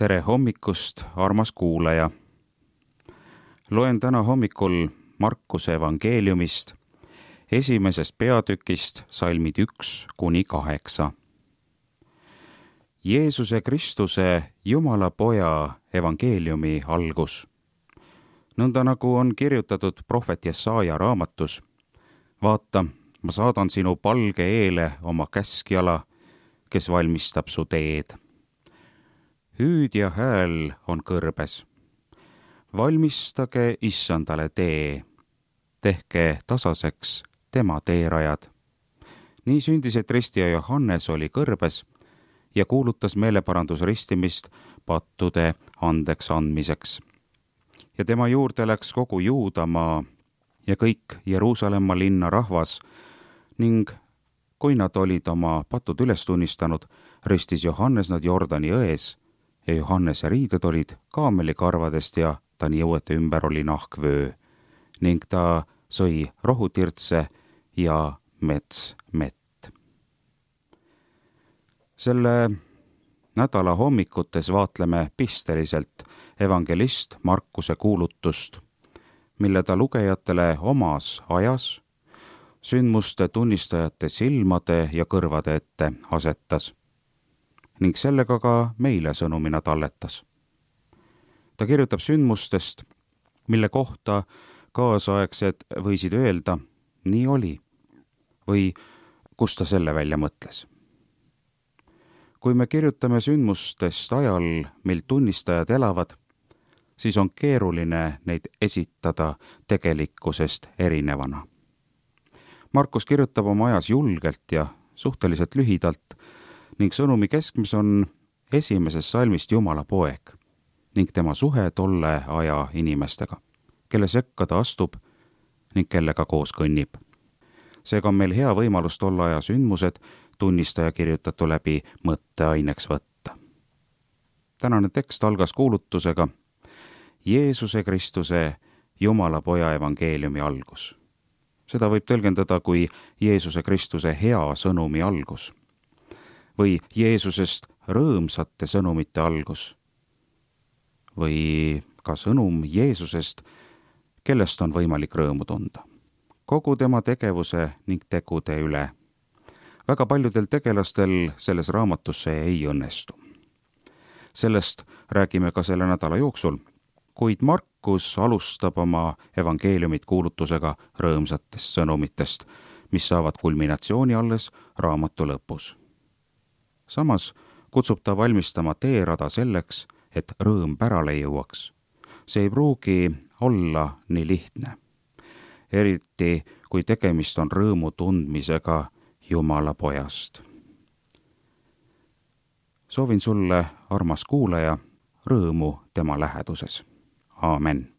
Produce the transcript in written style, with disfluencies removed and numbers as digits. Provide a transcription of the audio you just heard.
Tere hommikust, armas kuulaja! Loen täna hommikul Markuse evangeeliumist, 1. peatükist salmid 1-8. Jeesuse Kristuse, Jumala Poja evangeeliumi algus. Nõnda nagu on kirjutatud prohvet Jesaja raamatus: vaata, ma saadan sinu palge eele oma käskjala, kes valmistab su teed. Hüüdja hääl on kõrbes. Valmistage Issandale tee, tehke tasaseks tema teerajad. Nii sündis, et ristija Johannes oli kõrbes ja kuulutas meeleparandusristimist pattude andeks andmiseks. Ja tema juurde läks kogu Juudamaa ja kõik Jeruusalemma linna rahvas ning kui nad olid oma patud üles tunnistanud, ristis Johannes nad Jordani jões ja Johannese riided olid kaamelikarvadest ja ta niuete ümber oli nahkvöö ning ta sõi rohutirtse ja metsmett. Selle nädala hommikutes vaatleme pisteliselt evangelist Markuse kuulutust, mille ta lugejatele omas ajas sündmuste tunnistajate silmade ja kõrvade ette asetas ning sellega ka meile sõnumina talletas. Ta kirjutab sündmustest, mille kohta kaasaegsed võisid öelda, nii oli, või kust ta selle välja mõtles. Kui me kirjutame sündmustest ajal, mil tunnistajad elavad, siis on keeruline neid esitada tegelikkusest erinevana. Markus kirjutab oma ajas julgelt ja suhteliselt lühidalt ning sõnumi keskmes on 1. salmist Jumala poeg ning tema suhe tolle aja inimestega, kelle sekka ta astub ning kellega koos kõnnib. Seega on meil hea võimalus tolle aja sündmused tunnistaja kirjutatu läbi mõtteaineks võtta. Tänane tekst algas kuulutusega Jeesuse Kristuse, Jumala Poja evangeeliumi algus. Seda võib tõlgendada kui Jeesuse Kristuse hea sõnumi algus või Jeesusest rõõmsate sõnumite algus või ka sõnum Jeesusest, kellest on võimalik rõõmu tunda. Kogu tema tegevuse ning tegude üle. Väga paljudel tegelastel selles raamatus see ei õnnestu. Sellest räägime ka selle nädala jooksul, kuid Markus alustab oma evangeeliumit kuulutusega rõõmsatest sõnumitest, mis saavad kulminatsiooni alles raamatu lõpus. Samas kutsub ta valmistama teerada selleks, et rõõm pärale jõuaks. See ei pruugi olla nii lihtne, eriti kui tegemist on rõõmu tundmisega Jumala Pojast. Soovin sulle, armas kuulaja, rõõmu tema läheduses. Aamen.